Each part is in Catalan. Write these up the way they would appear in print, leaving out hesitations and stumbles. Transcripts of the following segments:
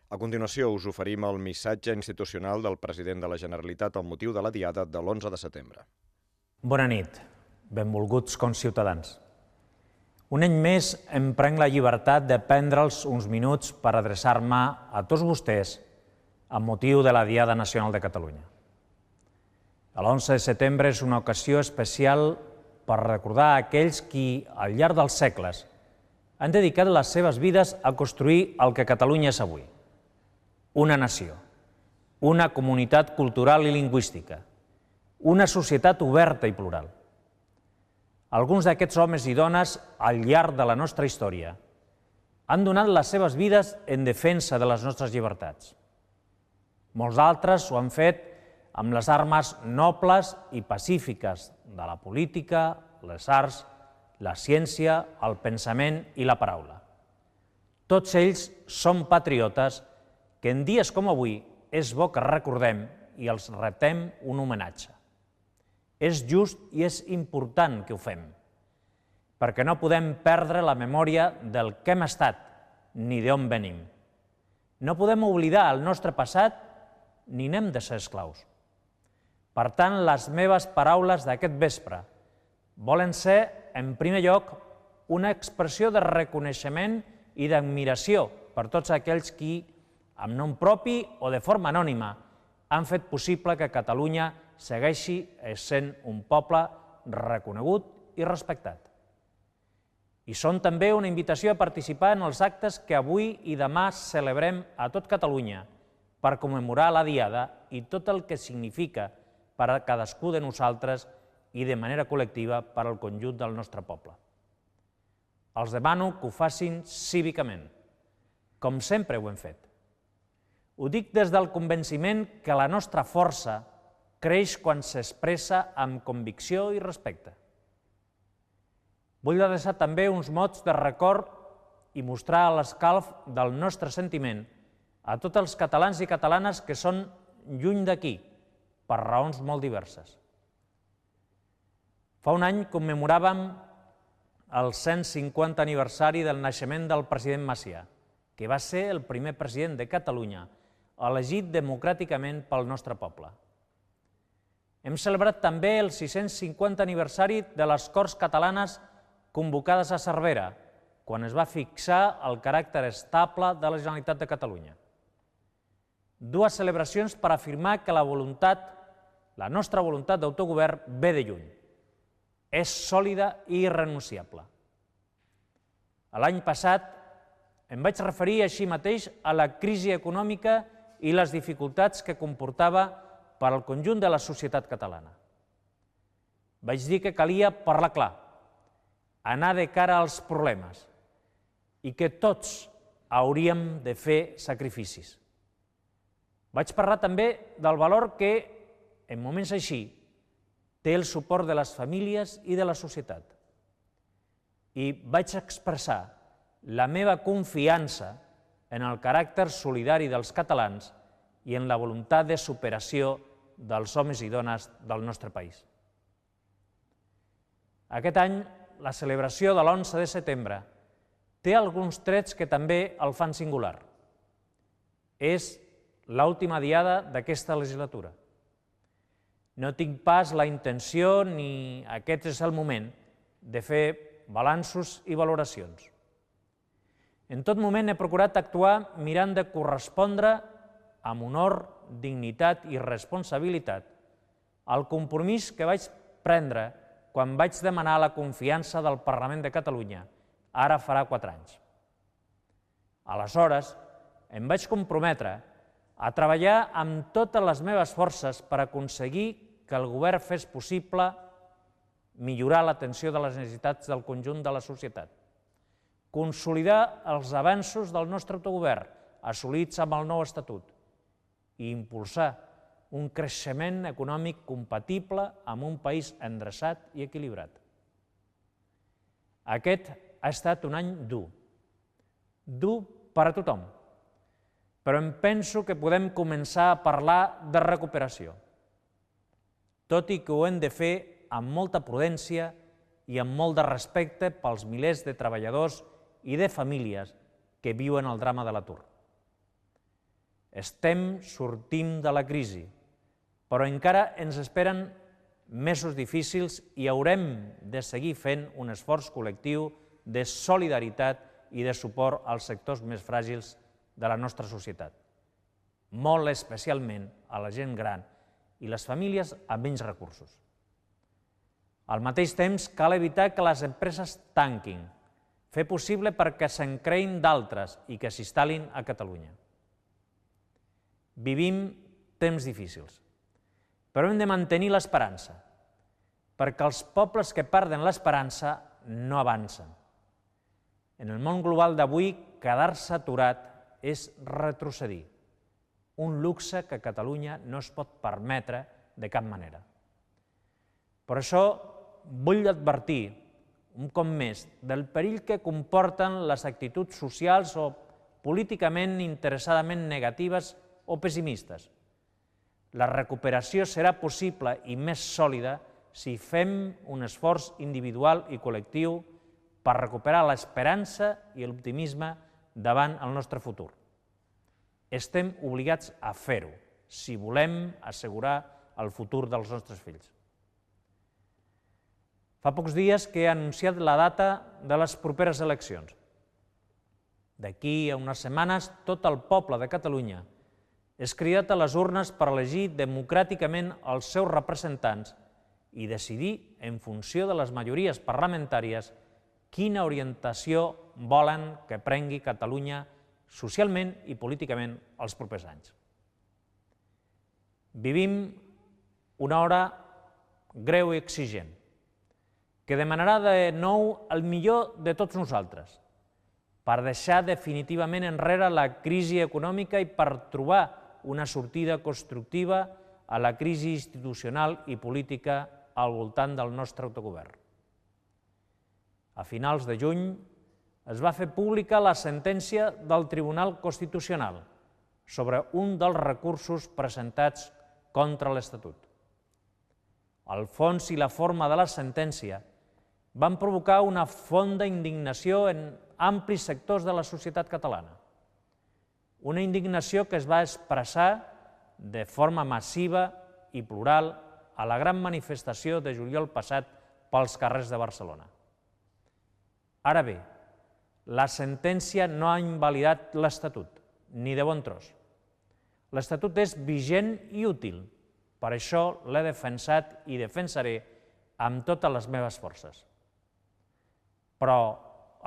A continuació, us oferim el missatge institucional del president de la Generalitat amb motiu de la Diada de l'11 de setembre. Bona nit, benvolguts conciutadans. Un any més em prenc la llibertat de prendre'ls uns minuts per adreçar-me a tots vostès amb motiu de la Diada Nacional de Catalunya. L'11 de setembre és una ocasió especial per recordar aquells qui, al llarg dels segles, han dedicat les seves vides a construir el que Catalunya és avui. Una nació, una comunitat cultural i lingüística, una societat oberta i plural. Alguns d'aquests homes i dones, al llarg de la nostra història, han donat les seves vides en defensa de les nostres llibertats. Molts altres ho han fet amb les armes nobles i pacífiques de la política, les arts, la ciència, el pensament i la paraula. Tots ells són patriotes que en dies com avui és bo que recordem i els retem un homenatge. És just i és important que ho fem, perquè no podem perdre la memòria del que hem estat ni d'on venim. No podem oblidar el nostre passat ni n'hem de ser esclaus. Per tant, les meves paraules d'aquest vespre volen ser, en primer lloc, una expressió de reconeixement i d'admiració per tots aquells qui, amb nom propi o de forma anònima, han fet possible que Catalunya segueixi sent un poble reconegut i respectat. I són també una invitació a participar en els actes que avui i demà celebrem a tot Catalunya per commemorar la Diada i tot el que significa per a cadascú de nosaltres i de manera col·lectiva per al conjunt del nostre poble. Els demano que ho facin cívicament, com sempre ho hem fet. Ho dic des del convenciment que la nostra força creix quan s'expressa amb convicció i respecte. Vull adreçar també uns mots de record i mostrar l'escalf del nostre sentiment a tots els catalans i catalanes que són lluny d'aquí, per raons molt diverses. Fa un any commemoràvem el 150 aniversari del naixement del president Macià, que va ser el primer president de Catalunya elegit democràticament pel nostre poble. Hem celebrat també el 650 aniversari de les Corts Catalanes convocades a Cervera, quan es va fixar el caràcter estable de la Generalitat de Catalunya. Dues celebracions per afirmar que la nostra voluntat d'autogovern ve de lluny. És sòlida i irrenunciable. L'any passat em vaig referir així mateix a la crisi econòmica i les dificultats que comportava per al conjunt de la societat catalana. Vaig dir que calia parlar clar, anar de cara als problemes i que tots hauríem de fer sacrificis. Vaig parlar també del valor que, en moments així, té el suport de les famílies i de la societat. I vaig expressar la meva confiança en el caràcter solidari dels catalans i en la voluntat de superació dels homes i dones del nostre país. Aquest any, la celebració de l'11 de setembre té alguns trets que també el fan singular. És l'última diada d'aquesta legislatura. No tinc pas la intenció ni aquest és el moment de fer balanços i valoracions. En tot moment he procurat actuar mirant de correspondre amb honor, dignitat i responsabilitat al compromís que vaig prendre quan vaig demanar la confiança del Parlament de Catalunya, ara farà 4 anys. Aleshores, em vaig comprometre a treballar amb totes les meves forces per aconseguir que el govern fes possible millorar l'atenció de les necessitats del conjunt de la societat, consolidar els avanços del nostre autogovern assolits amb el nou Estatut i impulsar un creixement econòmic compatible amb un país endreçat i equilibrat. Aquest ha estat un any dur per a tothom, però em penso que podem començar a parlar de recuperació, tot i que ho hem de fer amb molta prudència i amb molt de respecte pels milers de treballadors i de famílies que viuen el drama de l'atur. sortim de la crisi, però encara ens esperen mesos difícils i haurem de seguir fent un esforç col·lectiu de solidaritat i de suport als sectors més fràgils de la nostra societat, molt especialment a la gent gran i les famílies amb menys recursos. Al mateix temps, cal evitar que les empreses tanquin, fer possible perquè se'n creïn d'altres i que s'instal·lin a Catalunya. Vivim temps difícils, però hem de mantenir l'esperança, perquè els pobles que perden l'esperança no avancen. En el món global d'avui, quedar-se aturat és retrocedir, un luxe que Catalunya no es pot permetre de cap manera. Per això vull advertir, un cop més, del perill que comporten les actituds socials o políticament interessadament negatives o pessimistes. La recuperació serà possible i més sòlida si fem un esforç individual i col·lectiu per recuperar l'esperança i l'optimisme davant el nostre futur. Estem obligats a fer-ho si volem assegurar el futur dels nostres fills. Fa pocs dies que he anunciat la data de les properes eleccions. D'aquí a unes setmanes, tot el poble de Catalunya és cridat a les urnes per elegir democràticament els seus representants i decidir, en funció de les majories parlamentàries, quina orientació volen que prengui Catalunya socialment i políticament els propers anys. Vivim una hora greu i exigent, que demanarà de nou el millor de tots nosaltres, per deixar definitivament enrere la crisi econòmica i per trobar una sortida constructiva a la crisi institucional i política al voltant del nostre autogovern. A finals de juny es va fer pública la sentència del Tribunal Constitucional sobre un dels recursos presentats contra l'Estatut. El fons i la forma de la sentència van provocar una fonda indignació en amplis sectors de la societat catalana. Una indignació que es va expressar de forma massiva i plural a la gran manifestació de juliol passat pels carrers de Barcelona. Ara bé, la sentència no ha invalidat l'Estatut, ni de bon tros. L'Estatut és vigent i útil, per això l'he defensat i defensaré amb totes les meves forces. Però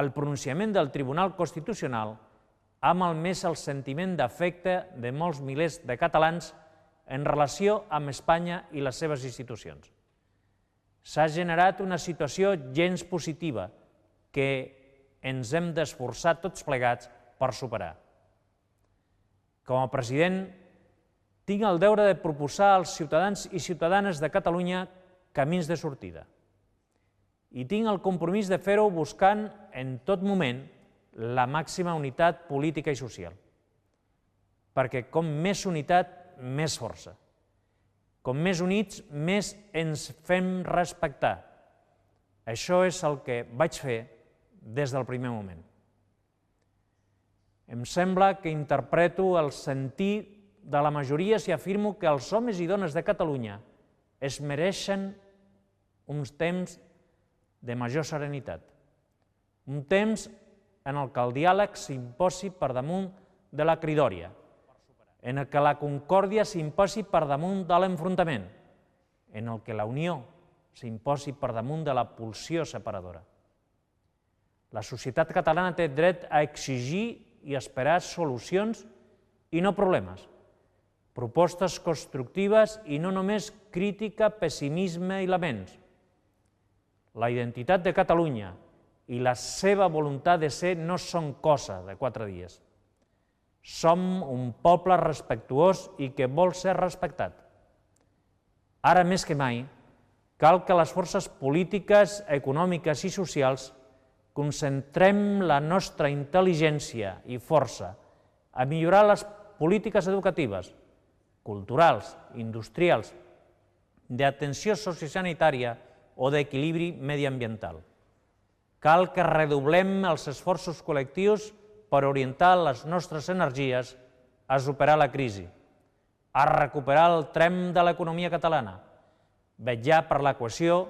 el pronunciament del Tribunal Constitucional ha malmès el sentiment d'afecte de molts milers de catalans en relació amb Espanya i les seves institucions. S'ha generat una situació gens positiva que ens hem d'esforçar tots plegats per superar. Com a president, tinc el deure de proposar als ciutadans i ciutadanes de Catalunya camins de sortida. I tinc el compromís de fer-ho buscant en tot moment la màxima unitat política i social. Perquè com més unitat, més força. Com més units, més ens fem respectar. Això és el que vaig fer des del primer moment. Em sembla que interpreto el sentir de la majoria si afirmo que els homes i dones de Catalunya es mereixen uns temps de major serenitat, un temps en el que el diàleg s'imposi per damunt de la cridòria, en el que la concòrdia s'imposi per damunt de l'enfrontament, en el que la unió s'imposi per damunt de la pulsió separadora. La societat catalana té dret a exigir i esperar solucions i no problemes, propostes constructives i no només crítica, pessimisme i laments. La identitat de Catalunya i la seva voluntat de ser no són cosa de 4 dies. Som un poble respectuós i que vol ser respectat. Ara més que mai, cal que les forces polítiques, econòmiques i socials concentrem la nostra intel·ligència i força a millorar les polítiques educatives, culturals, industrials, d'atenció sociosanitària o d'equilibri mediambiental. Cal que redoblem els esforços col·lectius per orientar les nostres energies a superar la crisi, a recuperar el tren de l'economia catalana, vetllar per la cohesió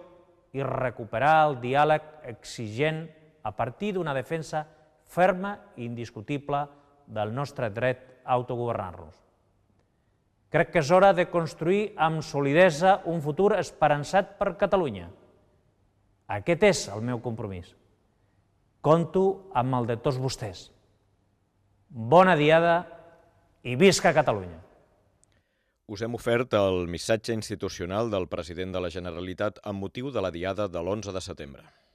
i recuperar el diàleg exigent a partir d'una defensa ferma i indiscutible del nostre dret a autogovernar-nos. Crec que és hora de construir amb solidesa un futur esperançat per Catalunya. Aquest és el meu compromís. Compto amb el de tots vostès. Bona diada i visca Catalunya! Us hem ofert el missatge institucional del president de la Generalitat amb motiu de la Diada de l'11 de setembre.